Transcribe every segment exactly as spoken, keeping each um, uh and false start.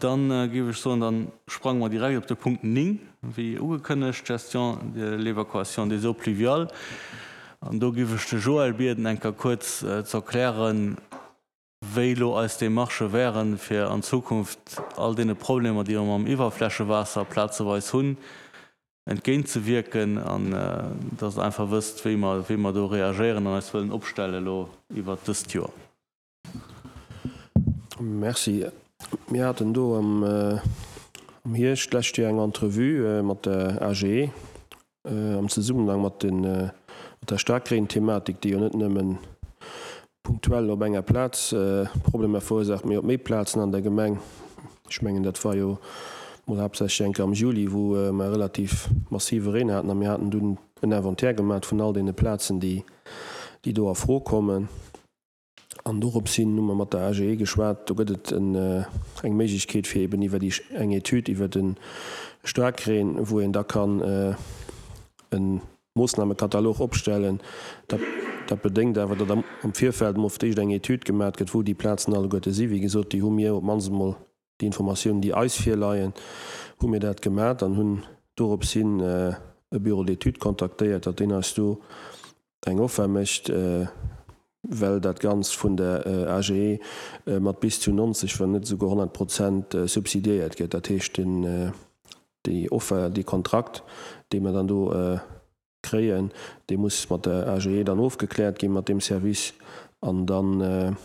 Dann géif ech soen, dann sprange mer direkt op de Punkt néng, wéi ugekënnegt, Gestion de l'évacuation des eaux pluviales. An do géif ech de Joël bieden, eng Kéier kuerz ze erklären, wéi elo eis Démarchë wären, fir an Zukunft all deene Problemer, déi mer mam Iwwerflächewaasser plazeweis hunn, entgéintzewierken, an dass Der einfach wësst, wéi mer, wéi mer do reagéieren an eis wëllen opstellen elo iwwert dëst Joer. Merci. Mir haten do am Hierscht d'lescht Joer eng Entrevue mat der A G E am Zesummenhang mat den, mat der Staarkreen-Thematik, déi jo net nëmmen punktuell op enger Plaz Problemer verursaacht, mee op méi Plazen an der Gemeng. Ech mengen, dat war jo mol haaptsächlech eng Kéier am Juli, wou mer relativ massive Reen haten, a mir haten dunn en Inventaire gemaat vun all deene Plazen, déi, déi do a Fro kommen. An dorops hin hu mer mat der A G E geschwat. Do gëtt et eng Méiglechkeet, fir eben iwwer déi eng Etüd iwwer de Staarkreen, wou een da kann e Moossnamekatalog opstellen. Dat, dat bedéngt awer, datt am, am Virfeld mol fir d'éischt eng Etüd gemat gëtt, wou déi Plazen alleguerte sinn. Wéi gesot, déi hu mir op d'mannst emol déi Informatiounen, déi eis virleien, hu mir dat gemat an hunn dorops hin e Bureau d'études kontaktéiert, datt deen eis do eng Offer mécht, well dat Ganzt vun der A G E mat bis zu neunzeg, wann net esouguer honnert Prozent subsidiéiert gëtt. Dat heescht, den, déi Offer, dee Kontrakt, dee mer dann do kréien, dee muss mat der A G E dann ofgekläert ginn, mat deem Service, an dann,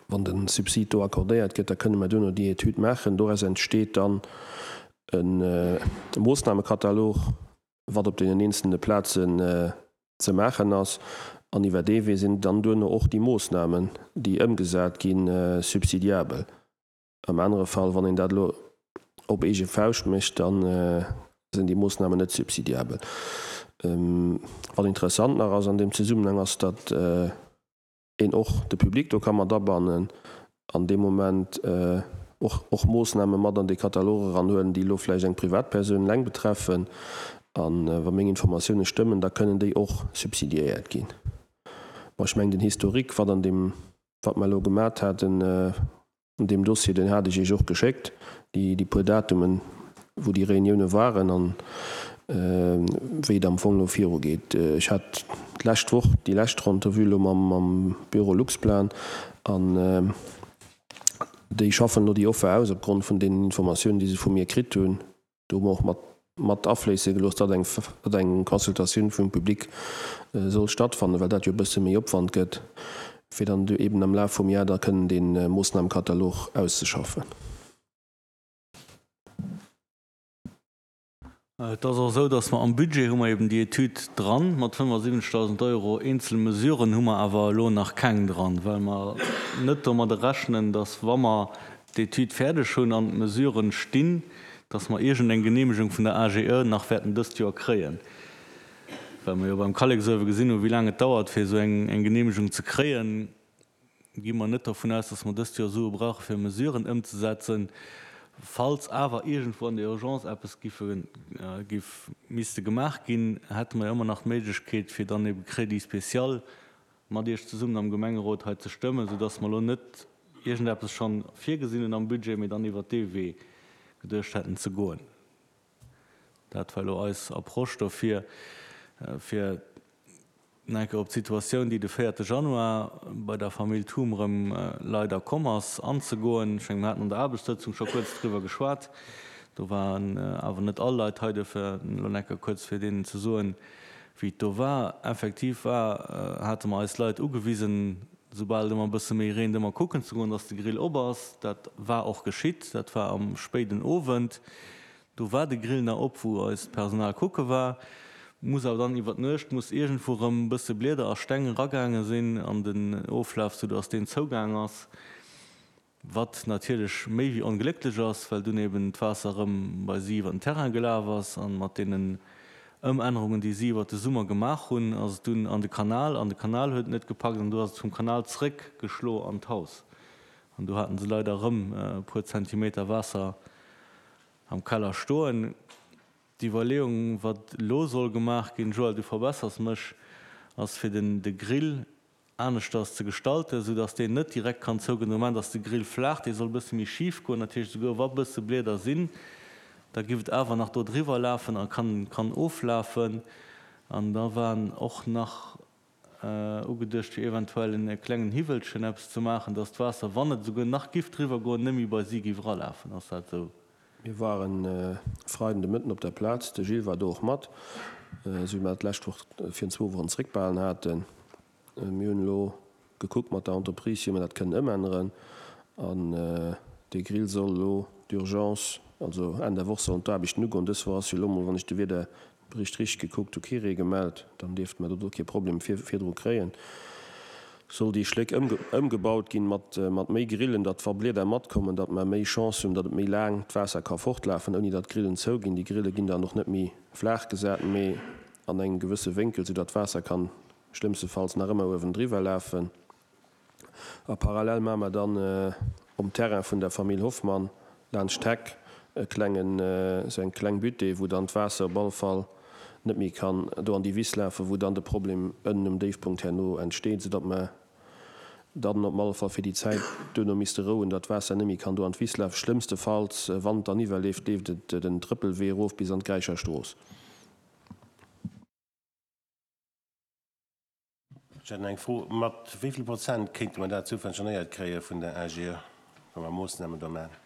wann de Subsid do accordéiert gëtt, da kënne mer duerno déi Etüd maachen. Doraus entsteet dann e Moossnamekatalog, wat op deenen eenzelne Plazen ze maachen ass, an iwwer dee Wee sinn dann duerno och déi Moossnamen, déi ëmgesat ginn, subsidiabel. Am anere Fall, wann een dat elo op eege Fauscht mécht, da sinn déi Moossnamen net subsidiabel. Wat interessant nach ass an deem Zesummenhang, ass, datt een och de Public do ka mat abannen an deem Moment och och Moossname mat an dee Katalog eranhuelen, déi elo vläicht eng Privatpersoun eleng betreffen. A wa meng Informatioune stëmmen, da kënnen déi och subsidiéiert ginn. Bon, ech mengen, den Historique, wat an deem, wat mer elo gemat haten an deem Dossier, deen hat ech Iech och geschéckt, déi déi puer Datumen, wou déi Reunioune waren an wéi et am Fong elo virugeet. Ech hat d'lescht Woch déi lescht Rendez-vous elo mam mam Büro Luxplan an déi schaffen elo déi Offer aus opgrond vun deenen Informatiounen, déi se vu mir kritt hunn. Do hu mer och mat mat afléisse gelooss, datt eng datt eng Consultatioun vum Public soll stattfannen, well dat jo e bësse méi Opwand gëtt, fir dann eben am Laf vum Jar da kënnen dee Moossnamekatalog auszeschaffen. Et ass och esou, datt mer am Budget hu mer eben déi Etüd dran mat fënnefasiwwenzegdausend Euro. Eenzel Mesuren hu mer awer elo nach keng dran, well mer net domadder rechnen, datt, wa mer d'Etüd fäerdeg hunn an d'Mesuren stinn, datt mer iergendeng Genehmegung vun der A G E nach wäerten dëst Joer kréien, well mer jo beim Kalleksuewe gesinn hunn, wéi laang et dauert, fir esou eng Genehmegung ze kréien. Gi mer net dovun aus, dass mer dëst Joer Sue brauche fir Mesuren ëmzesetzen. Falls awer iergendwou an der Urgence eppes giffe giff misste gemaach ginn, hätte mer jo ëmmer nach d'Méiglechkeet, fir dann ebe Crédit spécial mat Iech zesummen am Gemengerot hei ze stëmmen, soudass mer elo net iergendeppes schonn virgesinn hunn am Budget, mee dann iwwert dee Wee geduecht hätten ze goen. Dat war elo eis Approche dofir, fir nach eng Kéier op d'Situatioun, déi de véierte Januar bei der Famill Thum erëm leider komm ass, anzegoen. Ech mengen, mir haten an der Aarbechtssëtzung scho kuerz driwwer geschwat. Do waren awer net all Leit hei, duerfir elo nach eng Kéier kuerz, fir deenen ze soen, wéi et do war. Effektiv war, hate mer eis Leit ugewisen, soubal et ëmmer e bësse méi reent, ëmmer kucken ze goen, dass de Grill op ass. Dat war och geschitt. Dat war am spéiden Owend. Do war de Grill nach op, wou eist Personal kucke war. Muss awer dann iwwer d'Nuecht muss iergendwou erëm e bësse Blieder a Steng eragaange sinn an den Oflaf, soudass deen zougaang ass, wat natierlech méi wéi onglécklech ass, well dunn eben d'Waasser erëm bei si iwwer den Terrain gelaf ass. An mat deenen Ëmännerungen, déi si iwwer de Summer gemaach hunn, ass et dunn an de Kanal, an de Kanal huet et net gepackt an du ass et vum Kanal zréck geschlo an d'Haus. An do haten se leider erëm e puer Zentimeter Waasser am Keller stoen. D'Iwwerleeung, wat elo soll gemaach ginn, Joël, du verbessers mech, ass fir den de Grill aneschters ze gestalten, esou dass deen net direkt kann zougoen. De Moment ass de Grill flaach, dee soll e bësse méi schif goen. Dat heescht, esouguer wa bësse Blieder sinn, da giff et awer nach do driwwer lafen a kann kann oflafen. An da waren och nach ugeduecht, fir eventuell en klengen Hiwwelchen eppes ze maachen, dass d'Waasser, wann et esouguer nach giff driwwer goen, net méi bei si giff eralafen. Ass dat esou? Mir waren e Freiden de Mëtten op der Plaz, de Gilles war do och mat, esou wéi mer dat d'lescht Woch virun zwou Wochen zréckbehalen haten. Mir hunn elo gekuckt mat der Entreprise, wéi mer dat kënnen ëmänneren. An dee Grill soll elo d'urgence, also Enn der Woch sollen d'Aarbechten ugoen. Dës Woch ass jo elo mol, wann ech de Wiederbericht richteg gekuckt hu, kee Ree gemellt. Dann dierfte mer do kee Problem virdru kréien. Soll déi Schléck ëmgebaut ginn mat méi Grillen, datt wa Blieder matkommen, datt mer méi Chance hunn, datt et méi laang d'Waasser ka fortlafen, ouni datt d'Grillen zouginn. Déi Grille ginn dann och net méi flaach gesat, mee an engem gewësse Wénkel, soudatt d'Waasser kann schlëmmstefalls nach ëmmer uewendriwwer lafen. A parallel maache mer dann um Terrain vun der Famill Hoffmann laanscht d'Heck e klengen, esou eng kleng Butte, wou dann d'Waasser op alle Fall net méi kann do an déi Wiss lafen, wou dann de Problem ënnen um Déifpunkt herno entsteet, soudatt mer dann op alle Fall fir déi Zäit duerno misste rouen, datt d'Waasser net méi kann do an d'Wiss lafen. Schlëmmstefalls, wann et dann iwwerleeft, leeft et den Trëppelwee erof bis an d'Gräicher Strooss. Ech hätt nach eng Fro, Mat wéi vill Prozent kéinte mer dat subventionéiert kréie vun der A G E, wa mer Moossnamen do maachen?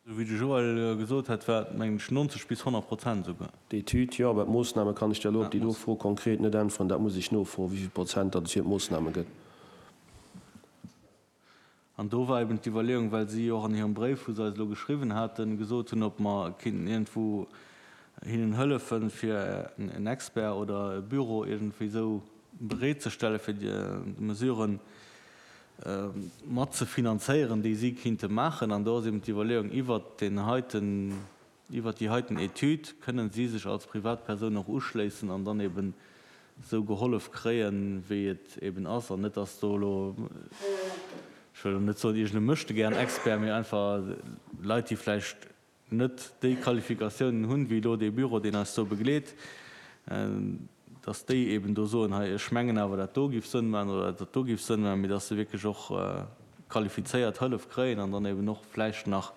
Esou wéi de Joël gesot hat, war et, mengen ech, neunzeg bis honnert Prozent esouguer. D'Etüd, jo, awer d'Moossname kann ech der elo op déi do Fro konkret net äntweren. Dat muss ech nofroen, wéi vill Prozent datt et fir d'Moossname gëtt. An do war eben d'Iwwerleeung, well si och an hirem Bréif, wou se eis elo geschriwwen haten, gesot hunn, ob mer kéinten iergendwou hinnen hëllefen, fir en Expert oder e Büro iergendwéi esou bereetzestellen, fir déi Mesuren mat ze finanzéieren, déi si kinnte maachen. An do ass eben d'Iwwerleeung, iwwert deen heiten, iwwert déi heiten Etüd kënnen si sech als Privatpersoun och uschléissen an dann eben esou gehollef kréien, wéi et eben ass, an net, dass do elo, ech wëll elo net soen iergend e Möchtegern-Expert, mee einfach Leit, déi vläicht net déi Qualifikatiounen hunn, wéi elo dee Büro, deen eis do begleet, dass déi eben do soen, hei, ech mengen awer, dat do géif Sënn maachen oder dat do géif Sënn maachen, mee dass se wierklech och qualifizéiert Hëllef kréien an dann eben och vläicht nach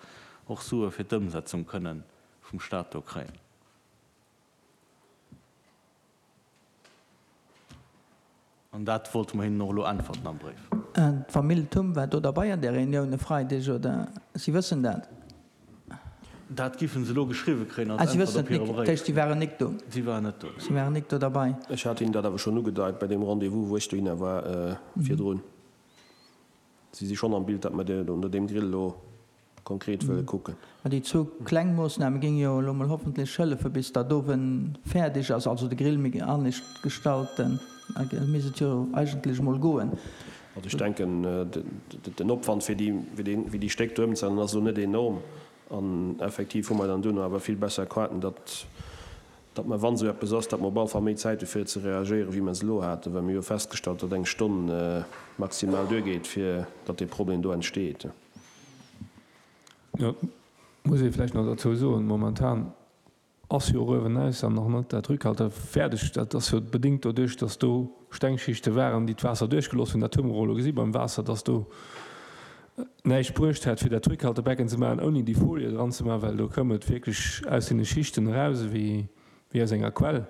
och Sue fir d'Ëmsetzung kënnen vum Stat do kréien. An dat wollte mer hinnen och elo äntwerten am Bréif. D'Famill Thum war do derbei an där Reunioun e Freideg, oder? Si wëssen dat? Dat giffen se elo geschriwwe kréien als Äntwert op hire Bréif. Dat heescht, si waren nik do? Si waren net do. Si waren nik do derbei. Ech hat hinnen dat awer schonn ugedeit bei deem Rendez-vous, wou ech dohinner war virdrun. Si si schonn am Bild, datt mer no deem Grill elo konkret wëlle kucken. Mä déi zwou kleng Moossname géinge jo elo mol hoffentlech hëllefen, bis dat owen fäerdeg ass, also de Grill méi anescht gestalten. Da misst et jo eigentlech mol goen. Also ech denken, den Opwand fir déi Stéck do ëmzeänneren ass elo net enorm. An effektiv hu mer dann duerno awer vill besser Quaten, datt datt mer, wann esou eppes ass, datt mer op alle Fall méi Zäit hu fir ze reagéieren, wéi mer se elo haten, well mir hu jo festgestallt, datt eng Stonn maximal duergeet, fir datt dee Problem do entsteet. Jo, muss ee vläicht nach derzou soen, momentan ass jo och uewenaus dann nach net dat Rückhalter fäerdeg. Dat ass jo bedéngt doduerch, dass do Stengschichte waren, déi d'Waasser duerchgelooss hunn. Dat hu mer och elo gesi beim Waasser, dass do näischt bruecht hätt, fir dat Rückhaltebecken ze maachen, ouni déi Folie dran ze maachen, well do koum et wierklech aus deene Schichten eraus ewéi aus enger Quell.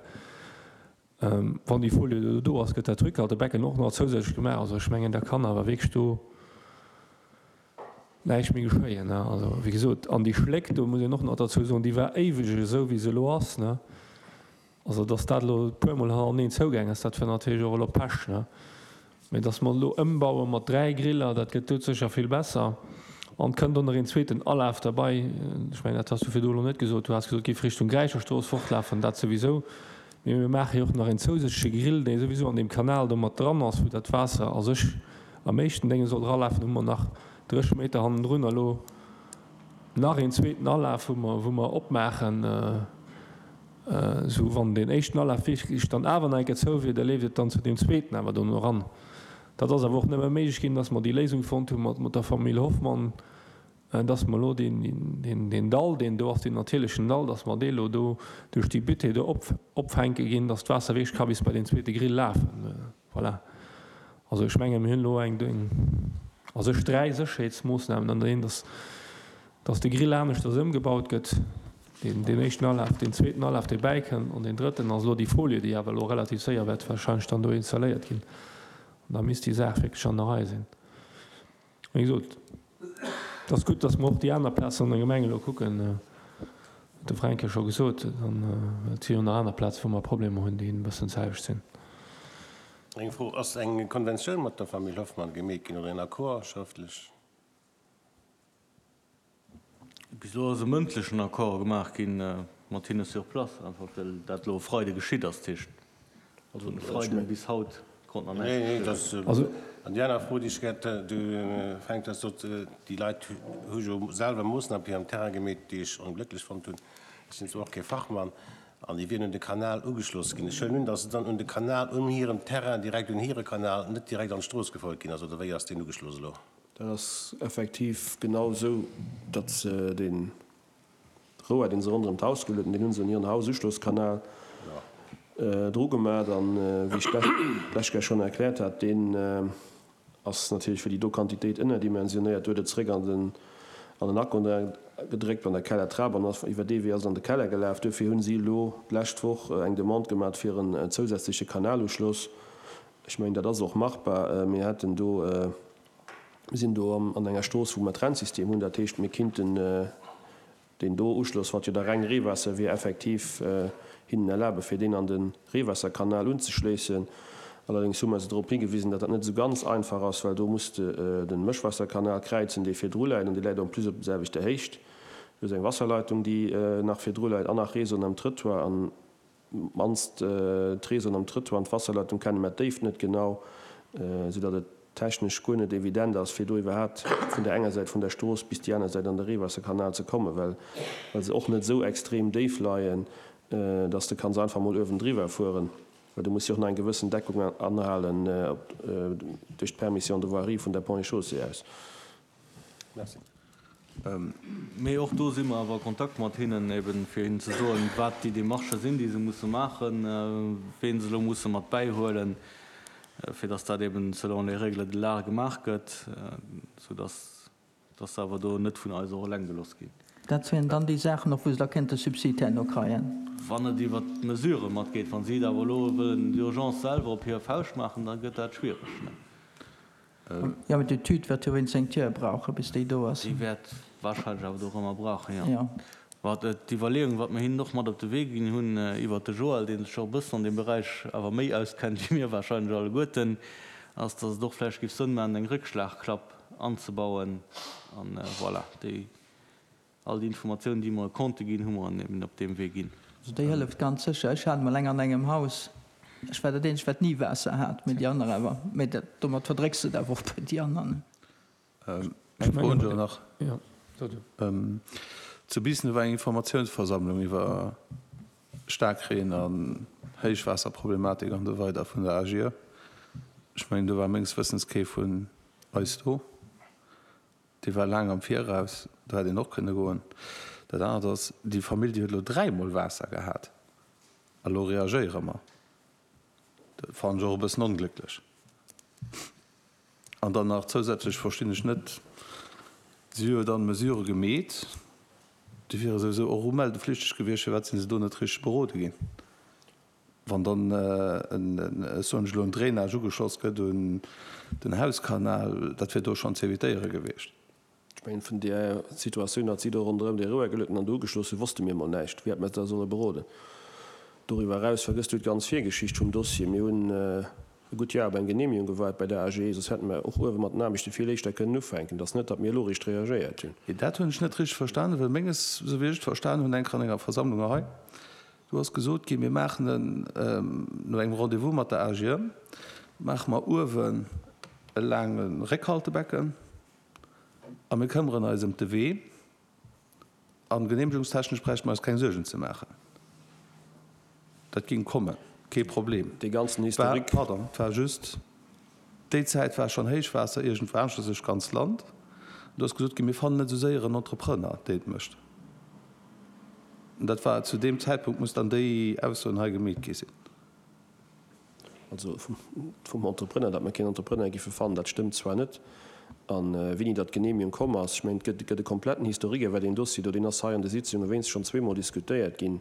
Wann déi Folie elo do ass, gëtt dat Rückhaltebecken och nach zousätzlech gemaach. Also ech mengen, da kann awer wierklech do näischt méi geschéien. Also wéi gesot, an déi Schléck, do muss een och nach derzou soen, déi war éiweg esou wéi se elo ass. Also datt dat elo e puermol hannereneen zougaang ass, dat war natierlech och elo Pech. Mä datt mer elo ëmbaue mat dräi Griller, dat gëtt doudsécher vill besser. An et kënnt och nach een zweeten Alaf derbei. Ech mengen, dat has du virdu elo net gesot. Du has gesot, et géif Richtung Gräicherstrooss fortlafen, dat souwisou. Mee mir maache jo och nach een zousätzleche Grill, dee souwisou an deem Kanal do mat dran ass, wou dat Waasser a sech am éischten Dénge soll eralafen. Hu mer nach drécheg Meter hannendrun elo nach een zweeten Alaf, wou mer, wou mer opmaachen, esou wann deen éischten Alaf wierklech dann awer nach eng Kéier zou wier, da leeft et dann zu deem zweeten awer dono eran. Dat ass awer och nëmme méiglech ginn, dass mer déi Léisung fonnt hu mat, mat der Famill Hoffmann, dass mer elo deen, deen, deen Dall, deen do ass, deen natierlechen Dall, dass mer dee elo do duerch déi Butte do op, opfänke ginn, dass d'Waasser wierklech ka bis bei deen zweete Grill lafen. Voilà. Also ech menge mir hunn elo eng, a sech dräi Sécherheetsmoossnamen an der een, dass, dass de Grill aneschters ëmgebaut gëtt, deen, deen éischten Alaf, deen zweeten Alaf, dee bäikënnt, an deen drëtten ass elo déi Folie, déi awer elo relativ séier wäert wahrscheinlech dann do installéiert ginn. An da misst déi Saach wierklech an der Rei sinn. Wéi gesot, et ass gutt, dass mer och déi aner Plazen an der Gemeng elo kucken, huet de Fränk jo scho gesot, dann, well et si jo nach aner Plazen, wou mer Problemer hunn, déi e bëssen d'selwecht sinn. Eng Fro, Ass eng Konventioun mat der Famill Hoffmann gemeet ginn oder en Accord schrëftlech? Bis elo ass e mëndlechen Accord gemaach gi mat hinne sur place, einfach well dat elo e Freide geschitt ass. Dat heescht, also vun e Freiden bis haut konnt nach näischt geschéien. An déi aner Fro, déi ech gär hätt, du Fränk, du has sot, déi Leit hu jo selwer Moossname op hirem Terrain gemeet, déi ech onglécklech fonnt hunn. Ech sinn zwar och kee Fachmann, An déi wieren un de Kanal ugeschloss ginn. Ech huelen un, datt se dann un de Kanal un hirem Terrain, direkt un hire Kanal, net direkt an d'Strooss gefouert ginn ass, oder wéi ass deen ugeschloss elo? Dat ass effektiv genau esou, datt se dee Rouer, dee se ronderëm d'Haus geluet hunn, deen hu se un hiren Haususchlosskanal dru gemaat. An wéi ech lech gär schonn erkläert hat, deen ass natierlech fir déi do Quantitéit ënnerdimensionéiert, huet et zréck an den an den Akon gedréckt an der Kellertrap an ass iwwer dee Wee ass et an de Keller gelaf. Duerfir hunn si elo d'lescht Woch eng Demande gemat fir en zousätzleche Kanaluschloss. Ech mengen, dat ass och machbar. Mir hätten do, mir sinn do an enger Strooss, wou mer Trennsystem hunn. Dat heescht, mir kinnten deen do Uschloss, wat jo da reng Reewaasser wier, effektiv hinnen erlabe fir deen an de Reewaasserkanal unzeschléissen. Allerdéngs hu mer se drop higewisen, datt dat net esou ganz einfach ass, well do muss de de Mëschwaasserkanal kräizen, dee virdru läit, an dee läit en plus op der selwechter Héicht. Do ass eng Wasserleitung, déi nach virdru läit, an nach Réseauen am Trëttoir. An d'mannst d'Réseauen am Trëttoir an d'Wasserleitung kenne mer d'Déift net genau, soudatt et technesch guer net evident ass, fir do iwwerhaapt vun der enger Säit vun der Strooss bis déi aner Säit an de Reewaasserkanal ze kommen, well se och net esou extrem déif leien, datt s de kanns einfach mol uewendriwwer fueren. Well do muss jo och nach eng gewëssen Deckung anhalen duerch d'Permission de voirie vun der Ponts et Chaussées aus. Merci. Mee och do si mer awer a Kontakt mat hinnen, eben fir hinnen ze soen, wat déi Démarchë sinn, déi se musse maachen, ween se elo musse mat bäihuelen, fir dass dat eben selon les règles de l'art gemaach gëtt, soudass Dass se awer do net vun eis och eleng gelooss ginn. Dat wieren dann déi Saachen och, wou se da kéinte Subsid herno kreien. Wann et iwwert d'Mesurë matgeet. Wa si et awer elo wëllen d'urgence selwer op hir Fauscht maachen, da gëtt dat schwiereg. Jo, mee d'Etüd wäert jo wéinst eng Tier brauchen, bis déi do ass. Déi wäert wahrscheinlech awer dorëmmer brauchen, jo. Wat d'Iwwerleeung, wat mer hinnen och mat op de Wee ginn hunn iwwert de Joël, dee sech och e bëssen an deem Beräich awer méi auskennt wéi mir wahrscheinlech alleguerten, ass, dass et och vläicht géif Sënn maachen, eng Réckschlagklapp anzebauen an voilà, déi, all déi Informatiounen, déi mer konnte ginn, hu mer eben op deem Wee ginn. Also déi hëlleft ganz sécher. Ech hat emol eng an engem Haus, ech war dat eenzegt, wat ni Waasser hat, mee déi aner awer. Mee dat, domat verdrécks de et awer och bei déi aner, ne? Eng Fro hunn ech awer nach. Zu Biissen war eng Informatiounsversammlung iwwer Staarkreen an Héichwaasserproblematik an esou weider vun der AGIE. Ech mengen, do war menges Wëssens kee vun eis do. Déi war laang am Viraus, do hätt een och kënne goen. Dat anert ass, déi Famill, déi huet elo dräimol Waasser gehat a lo reagéiere mer. Dat fannen ech och e bëssen onglécklech. An dann nach zousätzlech verstinn ech net, si hu jo dann Mesurë gemeet, déi wiere souwisou och umeldeflichteg gewiescht, firwat si se do net richteg berode ginn? Wann dann, ech soen lech elo, en Drainage ugeschloss gëtt un den Hauskanal, dat wier do schonn ze evitéiere gewiescht. Ech mengen, vun där Situatioun, datt si do ronderëm dee Rouer geluet hunn an do ugeschloss hunn, wosste mir emol näischt. Wéi hätte mer se da solle beroden? Doriwwer eraus vergësst du d'ganz Virgeschicht vum Dossier. Mir hunn e gutt Joer op eng Genehmigung gewaart bei der AGE, soss hätte mer och uewe mat den Aarbechte vill éischter kënnen ufänken. Et ass net, datt mir elo eréischt reagéiert hunn. Dat hunn ech net richteg verstanen, well menges, esou wéi ech et verstanen hunn, eng an enger Versammlung hei, Do ass gesot ginn, mir maachen en, no engem Rendez-vous mat der AGE, maache mer uewen e laange Réckhaltebecken a mir këmmeren eis ëm de Wee a genehmegungstechnesch bräichte mer eis keng Suergen ze maachen. Dat géing kommen, kee Problem. Dee ganzen Historique. Pardon, et war just, déi Zäit war schonn Héichwaasser iergendwou aneschters duerch d'ganzt Land. Do ass gesot ginn, mir fannen net esou séier en Entrepreneur, deen et mécht. Dat war zu deem Zäitpunkt, muss dann déi Aussoen hei gemeet gi sinn. Also vum Entrepreneur, datt mer keen Entrepreneur géife fannen, dat stëmmt zwar net. A wéini datt d'Genehmigung komm ass, ech mengen, et gëtt e kompletten Historique iwwer deen Dossier do, deen ass hei an de Sitzunge wéinst schonn zweemol diskutéiert ginn.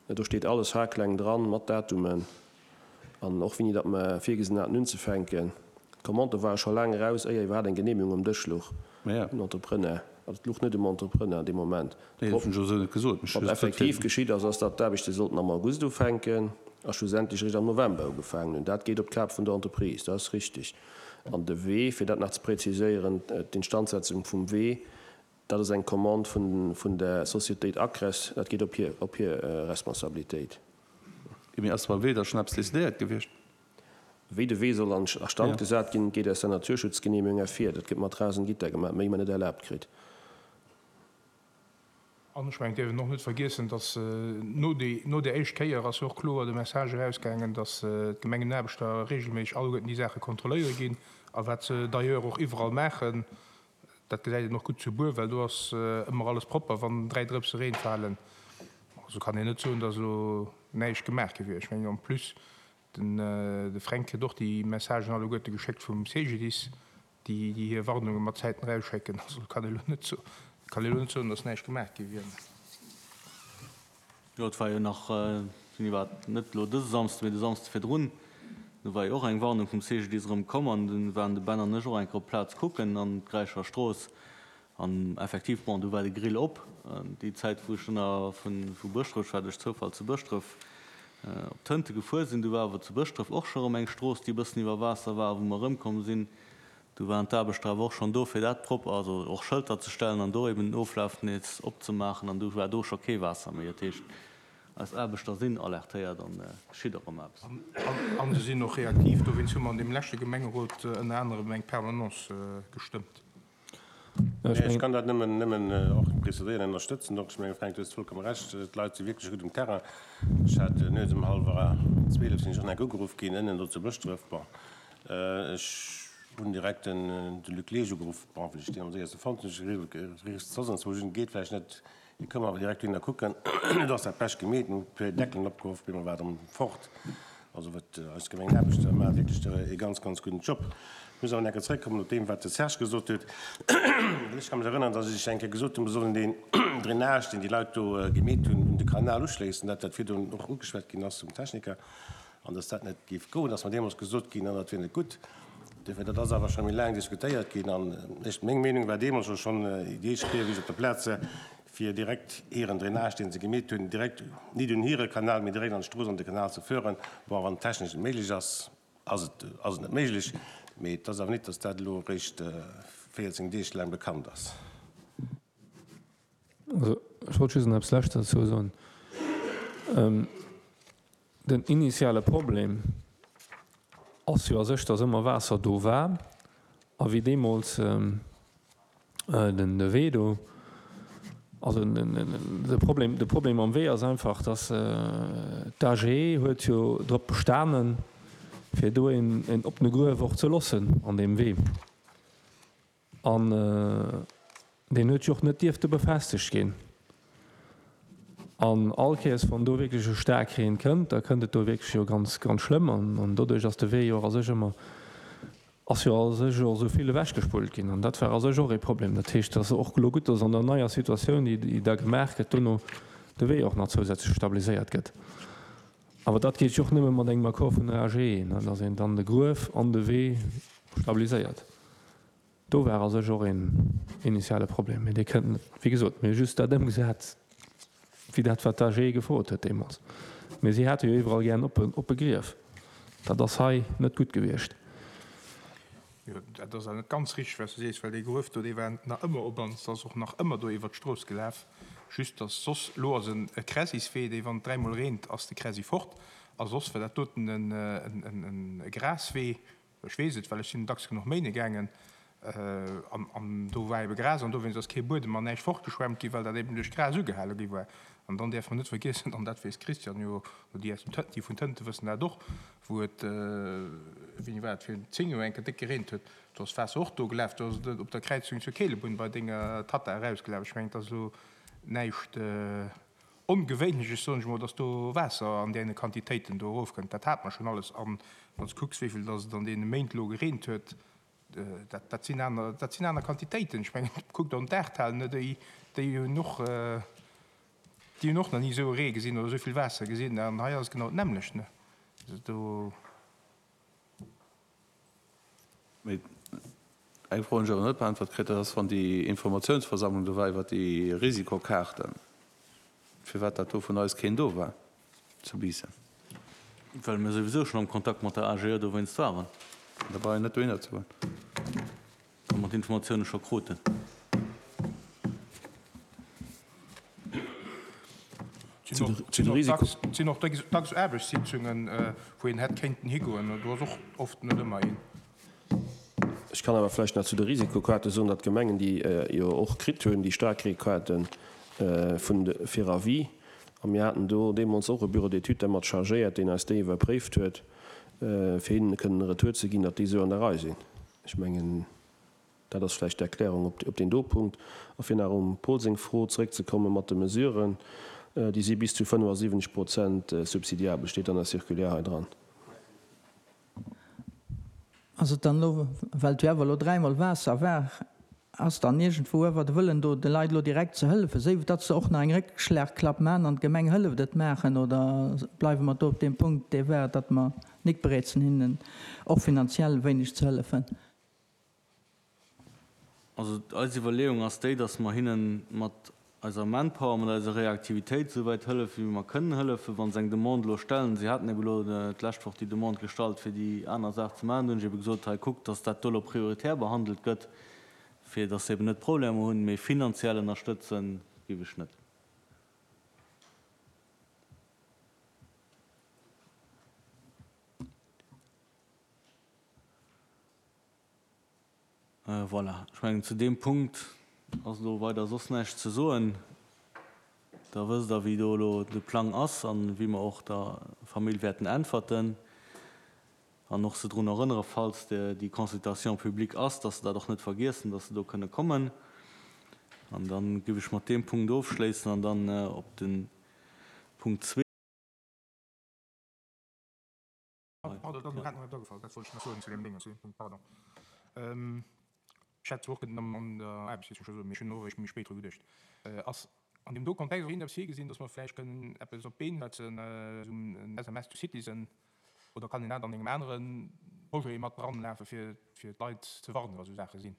Do steet alles haarkleng dran, mat Datumen an och wéini datt mer virgesinn haten unzefänken. D'Commande ware scho laang eraus, éier iwwerhaapt eng Genehmigung um Dësch louch um Entrepreneur. Also et louch net um Entrepreneur dee Moment. Wat effektiv geschitt ass, ass, datt d'Aarbechte sollten am August ufänken a schlussendlech eréischt am November ugefaangen hunn. Dat geet op d'Kap vun der Entreprise, dat ass richtig. An de Wee, fir dat nach ze präziséieren, d'Instandsetzung vum Wee, dat ass eng Commande vun der Sociétéit Acres, dat geet op hir, op hir Responsabilitéit. Mee ass beim Wee da schonn eppes decidéiert gewiescht? Wéi de Wee soll a Stand gesat ginn, geet aus der Naturschutzgenehmegung ervir. Dat gëtt mat Rasengitter gemaach, méi mer net erlaabt kritt. An ech mengen, et dierf een och net vergiessen, dass no där éischt Kéier ass jo och kloer de Message erausgaangen, dass d'Gemengenaarbechter regelméisseg alleguerten déi Saache kontrolléiere ginn, a wat se d'ailleurs och iwwerall maachen. Dat gesäit een och gutt zu Bur, well do ass ëmmer alles propper, wann dräi Drëpse Reen falen. Also kann een net soen, dass elo näischt gemaach gi wier. Ech mengen, en plus, de Fränk kritt och déi Messagen alleguerte geschéckt vum CGDIS, déi hir Warnunge mat Zäiten erausschécken. Also kann ee elo net soen, kann ee elo net soen, datt näischt gemaach gi wier. Jo, et war jo nach, wéini war et, net elo dëse Samsde, mee de Samsde virdrun, do war jo och eng Warnung vum CGDIS erëm komm an du waren de Ben an ech och eng Kéier op d'Plaz kucken an d'Gräicher Strooss an effektiv, bon, du war de Grill op. Déi Zäit, wou ech dunn vu Bëschdref, ech war duerch Zoufall zu Bëschdref, op Tënte gefuer sinn, du war awer zu Bëschdref och scho erëm eng Strooss, déi e bëssen iwwer Waasser war, wou mer erëmkomm sinn. Du waren d'Aarbechter awer och schonn do, fir dat propper, also och Schëlter ze stellen an do eben den Oflaf nees opzemaachen. An du war do scho kee Waasser méi. Dat heescht, eis Aarbechter sinn alertéiert an et geschitt och ëmmer eppes. A se sinn och reaktiv. Dowéinst hu mer an deem leschte Gemengerot ënner anerem eng Permanence gestëmmt. Ech kann dat nëmmen, nëmmen och preziséieren, ënnerstëtzen. Donc, ech mengen, Fränk, du hues vollkomme Recht, d'Leit si wierklech gutt um Terrain. Ech hat nuets um hallwer zwielef sinn ech och nach ugeruff ginn, ënnen do zu Bëschdref. Bon, ech hunn direkt den, de Luc Leesch ugeruff, bon, well ech deen am séierste fonnt hunn. Ech hu gesot, soss anzwousch hin, geet vläicht net, hie koum awer direkt dohinner kucken. Et ass dat Bescht gemeet, mir hunn e puer Deckelen opgehoff, op eemol war et erëm fort. Also wat eis Gemengenaarbechter maachen wierklech e ganz, ganz gudden Job. Ech muss awer nach eng Kéier zrëckkommen op deem, wat de Serge gesot huet. Well ech ka mech erënnern, dass ech eng Kéier gesot hunn, mir sollen deen Drainage, deen déi Leit do gemeet hunn, un de Kanal uschléissen, dat dat virdrun och ugeschwat ginn ass vum Techniker, an dass dat net géif goen, ass mer deemools gesot ginn, an dat wier net gutt. Duerfir, dat ass awer scho méi laang diskutéiert ginn, an ech, meng Meenung war deemools jo schonn, déi éischt Kéier, wéi ech op der Plaz war, fir direkt hiren Drainage, deen se gemeet hunn, direkt nit un hire Kanal, mee direkt an d'Strooss an de Kanal ze föhren. Bon, wann et technesch net méiglech ass, ass et, ass et net méiglech. Mee et ass awer nit, dass dat elo eréischt véierzéng Deeg laang bekannt ass. Also, ech wollt just nach eppes Leschtes dozou soen. Den initiale Problem ass jo a sech, dass ëmmer Waasser do war a wéi deemools den de Wee do, also de Problem, de Problem am Wee ass einfach, dass d'AGE huet jo drop bestanen, fir do een een oppene Gruef och ze loossen an deem Wee. An deen huet jo och net dierfte befestegt ginn. An all Kéiers, wann do wierklech e Staarkreen kënnt, da kënnt et do wierklech jo ganz, ganz schlëmm. An doduerch ass de Wee jo och a sech ëmmer, ass jo a sech och esou vill ewechgespullt ginn. An dat war a sech och ee Problem. Dat heescht, et ass och elo gutt, dass an der neier Situatioun, déi da gemaach gëtt, dono de Wee och nach zousätzlech stabiliséiert gëtt. Awer dat geet jo och nëmme mat engem Accord vun der AGE, dass een dann de Gruef an de Wee stabiliséiert. Do war a sech och een initiale Problem, mee dee kënnt net. Wéi gesot, mir hu just dat ëmgesat, wéi dat, wat d'AGE gefrot huet deemools. Mee si hate jo iwwerall gären oppe, oppe Grief. Dat ass hei net gutt gewiescht. Jo, dat ass awer net ganz richteg, wat s du sees, well dee Gruef do, dee war nach ëmmer op an et ass och nach ëmmer do iwwert d'Strooss gelaf. Just dass soss, elo ass en e Kräsiswee, dee wann et dräimol reent, ass de Kräsi fort. A soss war dat doten en, en, en e Graswee. Ech weess et, well ech sinn dacks genuch méine gaangen. An do war ebe Gras an dowéinst ass kee Buedem an näischt fortgeschwemmt ginn, well dat eben duerch d'Gras ugehale gi war. An dann däerfe mer net vergiessen, an dat weess d'Christiane jo, oder déi aus dem Tënt, déi vun Tënte wëssen dat och, wou et, wéini war et, virun zéng Joer eng Kéier déck gereent huet, do ass d'Waasser och do gelaf, do ass et op der Kräizung zur Keelebunn bei denger Tatta erausgelaf. Ech mengen, et ass elo näischt Ongewéinleches, soen ech emol, dass do Waasser an deene Quantitéiten do erofkënnt. Dat hate mer schonn alles. An wann s de kucks, wéi vill dass et an deene Méint elo gereent huet, dat, dat sinn aner, dat sinn aner Quantitéiten. Ech mengen, kuckt an d'Ahrtal, ne, déi, déi hunn och, déi hunn och nach ni esou e Ree gesinn oder esou vill Waasser gesinn. An hei ass et genau d'nämmlecht, ne. Also do. Mee eng Fro hunn ech awer net beäntwert kritt, dat ass, wann déi Informatiounsversammlung do war iwwert déi Risikokaarten, firwat dat do vun eis keen do war zu Biissen. Well mir souwisou schonn am Kontakt mat der AGE dowéinst waren. Da brauch een net dohinner ze goen. Well mer d'Informatioune scho kruten. Et sinn och dacks Aarbechtssitzungen, wou een hätt kéinten higoen. Do ass och oft net ëmmer een. Ech kann awer vläicht nach zu de Risikokaarte soen, datt d'Gemengen déi jo och kritt hunn, déi Staarkreekaarten vun de fir Avis. A mir haten do deemools och e Bureau d'études dermat chargéiert, deen eis déi iwwerpréift huet, fir hinnen kënnen e Retour ze ginn, datt déi esou an der Rei sinn. Ech mengen, dat ass vläicht d'Erklärung op deen do Punkt. A fir nach um Paul seng Fro zeréckzekomme mat de Mesuren, déi si bis zu fënnefasiwwenzeg Prozent subsidiabel, steet an der Circulaire hei dran. Ass et dann elo, well et jo awer elo dräimol Waasser war, ass dann iergendwou awer de Wëllen do, de Leit elo direkt ze hëllefen, séif datt se och nach eng Réckschlagklapp maachen an d'Gemeng hëlleft et maachen, oder bleiwe mer do op deem Punkt, dee war, datt mer nik bereet sinn, hinnen och finanziell e wéineg ze hëllefen? Also eis Iwwerleeung ass déi, dass mer hinne mat eiser Manpower, mat eiser Reaktivitéit esou wäit hëllefen, wéi mer kënnen hëllefen. Wa se eng Demande elo stellen, si haten ebe elo d'lescht Woch déi Demande gestallt, fir déi aner Saach ze maachen, do hunn ech ebe gesot, hei kuckt, dass dat do elo prioritär behandelt gëtt, fir dass se eben net Problemer hunn, mee finanziell ënnerstëtzen géif ech net. Voilà, ech mengen, zu deem Punkt ass elo weider soss näischt ze soen. Da wësst Der, wéi do elo de Plang ass a wéi mer och der Famill wäerten äntwerten an och se drun erënnere falls déi Consultation publique ass, dass se dat och net vergiessen, dass se do kënne kommen. An da géif ech mat deem Punkt ofschléissen an dann op de Punkt zwee. Pardon, dat ass mir grad nach net agefall, dat wollt ech nach soen zu deem Déngens, zu deem Punkt, pardon. Ech hätt zwar och kënnen an der Aarbechtssitzung scho soen, mee ech hunn och eréischt méi spéit dru geduecht. Ass an deem do Kontext och iergendeppes virgesinn, dass mer vläicht kënnen eppes op d'Been setzen, esou en S M S to Citizen, oder kann een dat an engem anere Projet mat dranlafe fir fir d'Leit ze warnen, wa sou Saache sinn?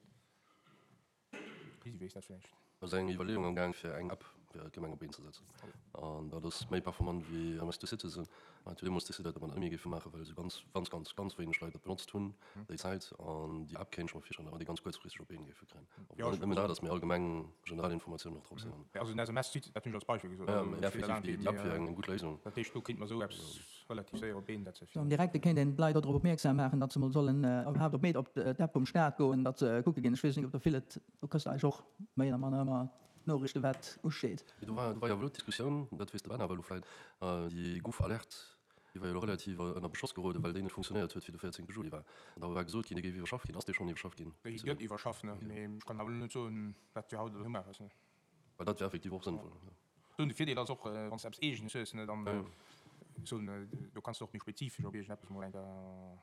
Lisi weess dat vläicht. Do ass eng Iwwerleeung am Gaang fir eng App fir d'Gemeng op d'Been ze setzen. An dat ass méi performant wéi M S to Citizen. Mer hat jo deemools decidéiert, datt mer dat net méi géife maachen, well esou ganz, ganz, ganz, ganz wéineg Leit dat benotzt hunn déi Zäit. An déi App kéint ech mer virstellen, datt mer déi ganz kuerzfristeg op d'Been géife kréien. Obwuel net nëmmen dat ass, mee allgemeng generell Informatiounen och drop sinn. Also den S M S to Citizen, dat hunn ech als Beispill gesot. Jo, mee effektiv, déi App wier eng gutt Léisung. Dat heescht, do kéint mer esou eppes relativ séier op d'Been setzen. Am Direkte kéint een d'Leit och drop opmierksam maachen, datt se mol sollen iwwerhaapt op op d'App vum Staat goen, datt se kucke ginn. Ech weess net, ob der vill et, do kriss de eigentlech och méi oder manner ëmmer d'Noriichte wat usteet. Mee do war, do war jo elo d'Diskussioun, dat weess de Ben awer elo vläit, déi gouf Alerte, déi war jo elo relativ ënner Beschoss geroden, well déi net funktionéiert huet, wéi de véierzéngte Juli war. An da war gesot ginn, déi géif iwwerschafft ginn. Ass déi schonn iwwerschafft ginn? Déi gëtt iwwerschafft, ne, mee ech kann awer elo net soen, wat fir haut oder muer ass, ne. Well dat wär effektiv och sënnvoll, jo. Soen, de Virdeel ass och, wann s de eppes Eegenes hues, ne, dann soen, do kanns de och méi spezifesch op iergendeppes mol eng Kéier.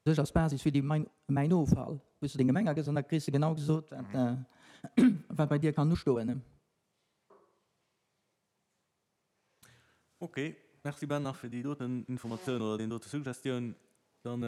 Sech als Basis fir déi Mäin Offall, wou s de deng Gemeng agëss an da kriss de genau gesot, wat bei dir kann ustoen. Ok, merci Ben nach fir déi doten Informatioun oder deen dote Suggestioun. Dann